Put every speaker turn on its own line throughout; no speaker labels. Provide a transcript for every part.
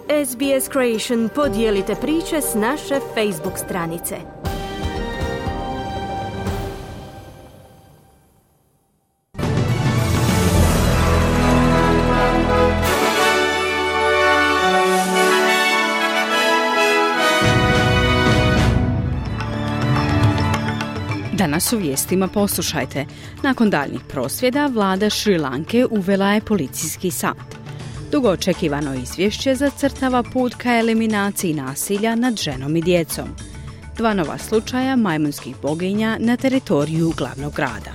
SBS Creation podijelite priče s naše Facebook stranice.
Danas u vijestima poslušajte. Nakon daljnjih prosvjeda, vlada Šri Lanke uvela je policijski sat. Dugo očekivano izvješće zacrtava put ka eliminaciji nasilja nad ženom i djecom. 2 nova slučaja majmunskih boginja na teritoriju glavnog grada.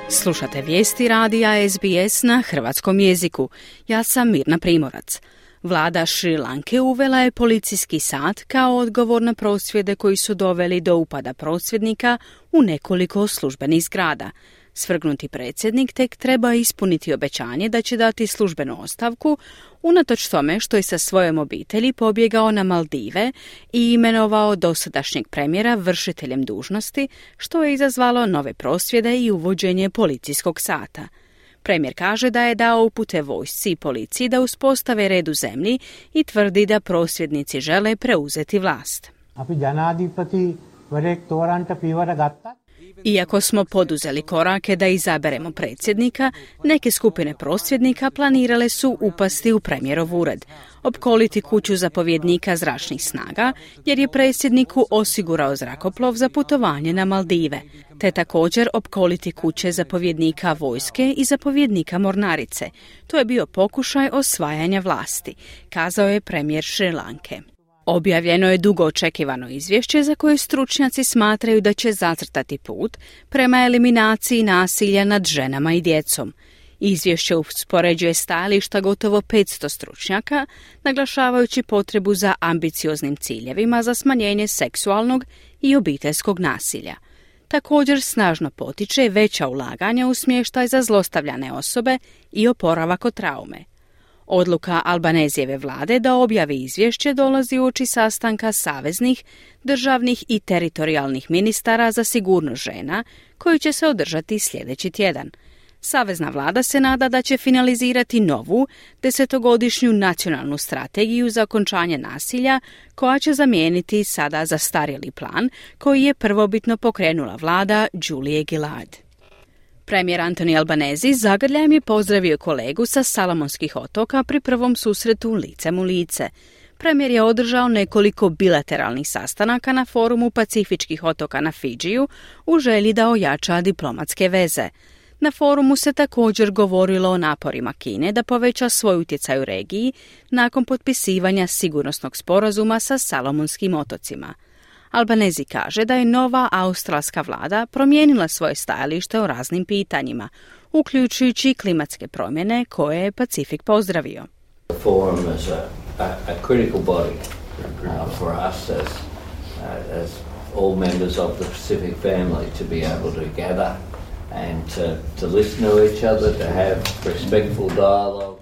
Slušate vijesti radija SBS na hrvatskom jeziku. Ja sam Mirna Primorac. Vlada Šri Lanke uvela je policijski sat kao odgovor na prosvjede koji su doveli do upada prosvjednika u nekoliko službenih zgrada. Svrgnuti predsjednik tek treba ispuniti obećanje da će dati službenu ostavku, unatoč tome što je sa svojom obitelji pobjegao na Maldive i imenovao dosadašnjeg premijera vršiteljem dužnosti, što je izazvalo nove prosvjede i uvođenje policijskog sata. Premijer kaže da je dao upute vojsci i policiji da uspostave red u zemlji i tvrdi da prosvjednici žele preuzeti vlast. Iako smo poduzeli korake da izaberemo predsjednika, neke skupine prosvjednika planirale su upasti u premijerov ured, opkoliti kuću zapovjednika zračnih snaga, jer je predsjedniku osigurao zrakoplov za putovanje na Maldive, te također opkoliti kuće zapovjednika vojske i zapovjednika mornarice. To je bio pokušaj osvajanja vlasti, kazao je premijer Šri Lanke. Objavljeno je dugo očekivano izvješće za koje stručnjaci smatraju da će zacrtati put prema eliminaciji nasilja nad ženama i djecom. Izvješće uspoređuje stajališta gotovo 500 stručnjaka, naglašavajući potrebu za ambicioznim ciljevima za smanjenje seksualnog i obiteljskog nasilja. Također snažno potiče veća ulaganja u smještaj za zlostavljane osobe i oporavak od traume. Odluka Albanezijeve vlade da objavi izvješće dolazi uoči sastanka saveznih, državnih i teritorijalnih ministara za sigurnost žena, koji će se održati sljedeći tjedan. Savezna vlada se nada da će finalizirati novu 10-godišnju nacionalnu strategiju za okončanje nasilja, koja će zamijeniti sada zastarjeli plan koji je prvobitno pokrenula vlada Julie Gillard. Premijer Anthony Albanese zagrljajem je pozdravio kolegu sa Salomonskih otoka pri prvom susretu licem u lice. Premijer je održao nekoliko bilateralnih sastanaka na forumu Pacifičkih otoka na Fidžiju u želji da ojača diplomatske veze. Na forumu se također govorilo o naporima Kine da poveća svoj utjecaj u regiji nakon potpisivanja sigurnosnog sporazuma sa Salomonskim otocima. Albanese kaže da je nova australska vlada promijenila svoje stajalište o raznim pitanjima, uključujući klimatske promjene koje je Pacifik pozdravio.
The forum is a critical body for us as all members of the Pacific family to be able to gather and to listen to each other, to have respectful dialogue.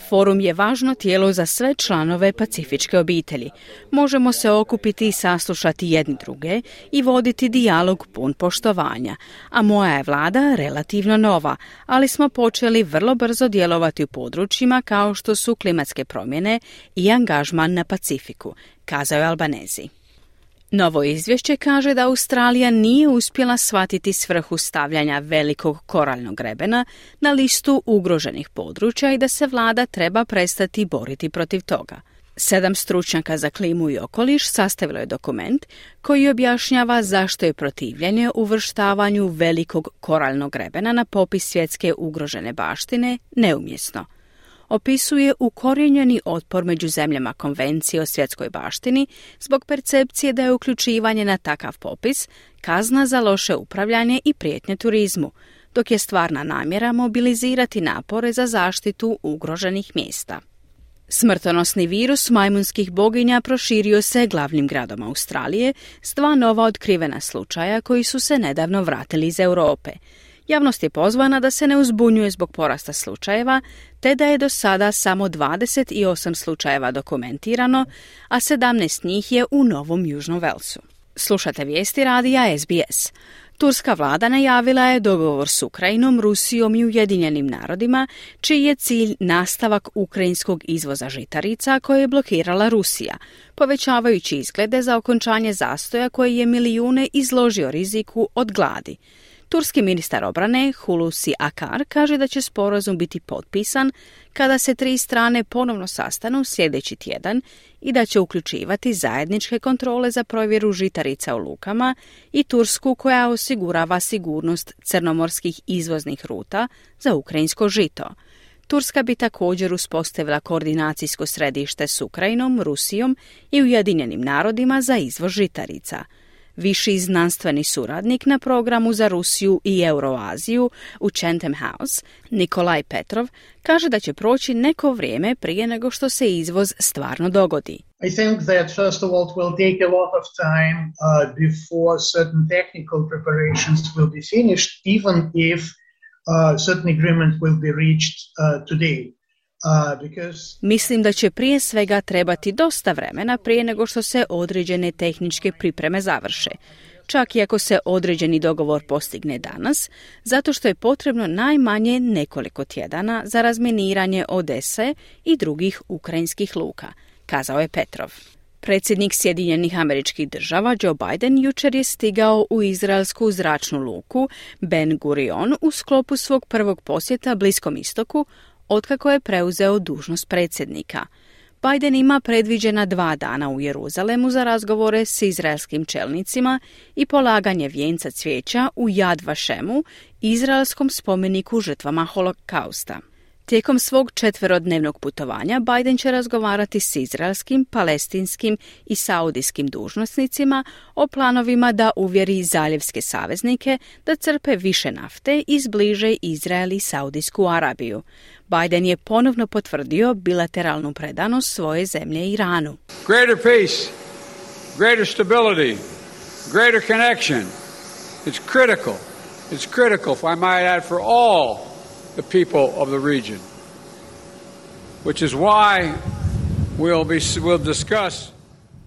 Forum je važno tijelo za sve članove pacifičke obitelji. Možemo se okupiti i saslušati jedni druge i voditi dijalog pun poštovanja. A moja je vlada relativno nova, ali smo počeli vrlo brzo djelovati u područjima kao što su klimatske promjene i angažman na Pacifiku, kazao je Albanese. Novo izvješće kaže da Australija nije uspjela shvatiti svrhu stavljanja velikog koraljnog grebena na listu ugroženih područja i da se vlada treba prestati boriti protiv toga. 7 stručnjaka za klimu i okoliš sastavilo je dokument koji objašnjava zašto je protivljenje uvrštavanju velikog koraljnog grebena na popis svjetske ugrožene baštine neumjesno. Opisuje ukorijenjeni otpor među zemljama Konvencije o svjetskoj baštini zbog percepcije da je uključivanje na takav popis kazna za loše upravljanje i prijetnje turizmu, dok je stvarna namjera mobilizirati napore za zaštitu ugroženih mjesta. Smrtonosni virus majmunskih boginja proširio se glavnim gradom Australije s 2 nova otkrivena slučaja koji su se nedavno vratili iz Europe. Javnost je pozvana da se ne uzbunjuje zbog porasta slučajeva, te da je do sada samo 28 slučajeva dokumentirano, a 17 njih je u Novom Južnom Velsu. Slušate vijesti radija SBS. Turska vlada najavila je dogovor s Ukrajinom, Rusijom i Ujedinjenim narodima, čiji je cilj nastavak ukrajinskog izvoza žitarica koje je blokirala Rusija, povećavajući izglede za okončanje zastoja koji je milijune izložio riziku od gladi. Turski ministar obrane Hulusi Akar kaže da će sporazum biti potpisan kada se 3 strane ponovno sastanu sljedeći tjedan i da će uključivati zajedničke kontrole za provjeru žitarica u lukama i Tursku koja osigurava sigurnost crnomorskih izvoznih ruta za ukrajinsko žito. Turska bi također uspostavila koordinacijsko središte s Ukrajinom, Rusijom i Ujedinjenim narodima za izvoz žitarica. Viši znanstveni suradnik na programu za Rusiju i Euroaziju u Chatham House, Nikolaj Petrov, kaže da će proći neko vrijeme prije nego što se izvoz stvarno dogodi.
I think that first of all it will take a lot of time before certain technical preparations will be finished, even if certain agreement will be reached today.
Mislim da će prije svega trebati dosta vremena prije nego što se određene tehničke pripreme završe, čak i ako se određeni dogovor postigne danas, zato što je potrebno najmanje nekoliko tjedana za razminiranje Odese i drugih ukrajinskih luka, kazao je Petrov. Predsjednik Sjedinjenih Američkih Država Joe Biden jučer je stigao u izraelsku zračnu luku Ben Gurion u sklopu svog prvog posjeta Bliskom istoku otkako je preuzeo dužnost predsjednika. Biden ima predviđena 2 dana u Jeruzalemu za razgovore s izraelskim čelnicima i polaganje vijenca cvijeća u Yad Vashemu, izraelskom spomeniku žrtvama holokausta. Tijekom svog 4-dnevnog putovanja Biden će razgovarati s izraelskim, palestinskim i saudijskim dužnosnicima o planovima da uvjeri zaljevske saveznike da crpe više nafte i zbliže Izrael i Saudijsku Arabiju. Biden je ponovno potvrdio bilateralnu predanost svoje zemlje Iranu.
Greater peace, greater stability, greater connection. It's critical. It's critical, if I might add, for all the people of the region, which is why we'll discuss.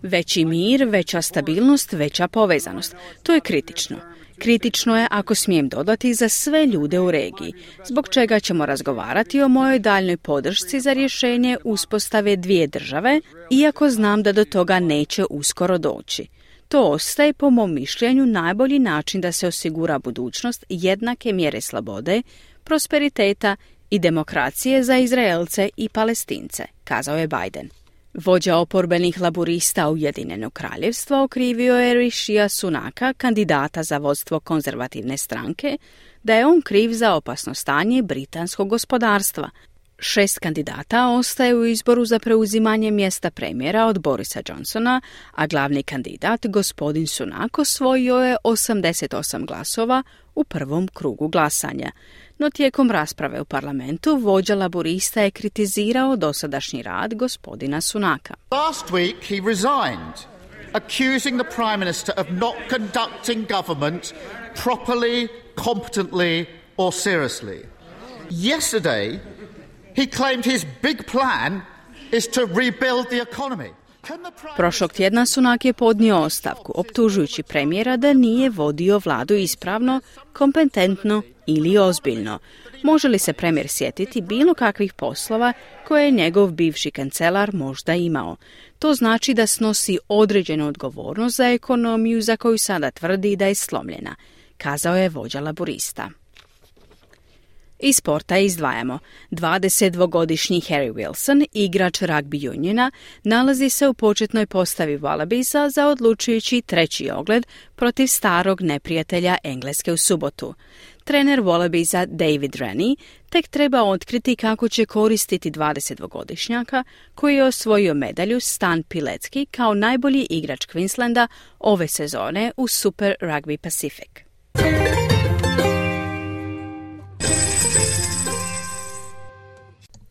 Veći mir, veća stabilnost, veća povezanost. To je kritično. Kritično je, ako smijem dodati, za sve ljude u regiji, zbog čega ćemo razgovarati o mojoj daljnoj podršci za rješenje uspostave 2 države, iako znam da do toga neće uskoro doći. To ostaje, po mom mišljenju, najbolji način da se osigura budućnost jednake mjere slobode, prosperiteta i demokracije za Izraelce i Palestince, kazao je Biden. Vođa oporbenih laburista Ujedinjenog kraljevstva okrivio je Rishija Sunaka, kandidata za vodstvo konzervativne stranke, da je on kriv za opasno stanje britanskog gospodarstva. 6 kandidata ostaje u izboru za preuzimanje mjesta premijera od Borisa Johnsona, a glavni kandidat, gospodin Sunak, osvojio je 88 glasova u prvom krugu glasanja. No tijekom rasprave u parlamentu vođa laburista je kritizirao dosadašnji rad gospodina Sunaka.
Last week he resigned, accusing the Prime Minister of not conducting government properly, competently or seriously. Yesterday he claimed his big plan is to rebuild the economy.
Prošlog tjedna Sunak je podnio ostavku, optužujući premijera da nije vodio vladu ispravno, kompetentno ili ozbiljno. Može li se premijer sjetiti bilo kakvih poslova koje je njegov bivši kancelar možda imao? To znači da snosi određenu odgovornost za ekonomiju za koju sada tvrdi da je slomljena, kazao je vođa laburista. Iz sporta izdvajamo. 22-godišnji Harry Wilson, igrač rugby uniona, nalazi se u početnoj postavi Wallabisa za odlučujući 3. ogled protiv starog neprijatelja Engleske u subotu. Trener Wallabisa David Rennie tek treba otkriti kako će koristiti 22-godišnjaka koji je osvojio medalju Stan Pilecki kao najbolji igrač Queenslanda ove sezone u Super Rugby Pacific.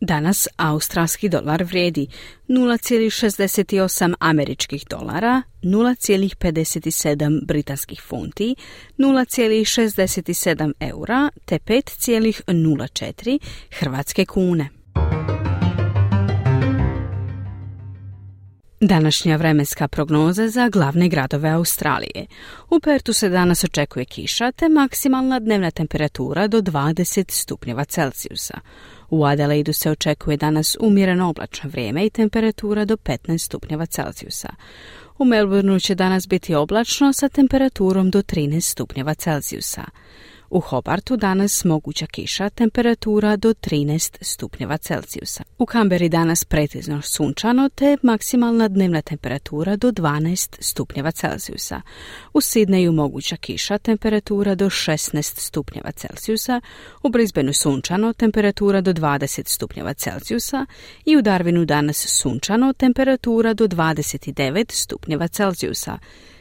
Danas australski dolar vrijedi 0,68 američkih dolara, 0,57 britanskih funti, 0,67 eura te 5,04 hrvatske kune. Današnja vremenska prognoza za glavne gradove Australije. U Pertu se danas očekuje kiša te maksimalna dnevna temperatura do 20 stupnjeva Celzijusa. U Adelaidu se očekuje danas umjereno oblačno vrijeme i temperatura do 15 stupnjeva Celzijusa. U Melbourneu će danas biti oblačno sa temperaturom do 13 stupnjeva Celzijusa. U Hobartu danas moguća kiša, temperatura do 13 stupnjeva Celzijusa. U Canberri danas pretežno sunčano te maksimalna dnevna temperatura do 12 stupnjeva Celzijusa. U Sidneju moguća kiša, temperatura do 16 stupnjeva Celzijusa. U Brisbaneu sunčano, temperatura do 20 stupnjeva Celzijusa. I u Darwinu danas sunčano, temperatura do 29 stupnjeva Celzijusa.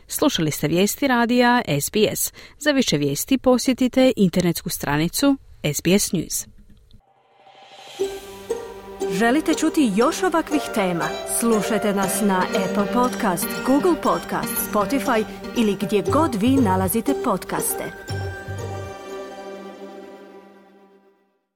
Slušali ste vijesti radija SBS. Za više vijesti posjetite internetsku stranicu SBS News.
Želite čuti još ovakvih tema? Slušajte nas na Apple Podcast, Google Podcast, Spotify ili gdje god vi nalazite podcaste.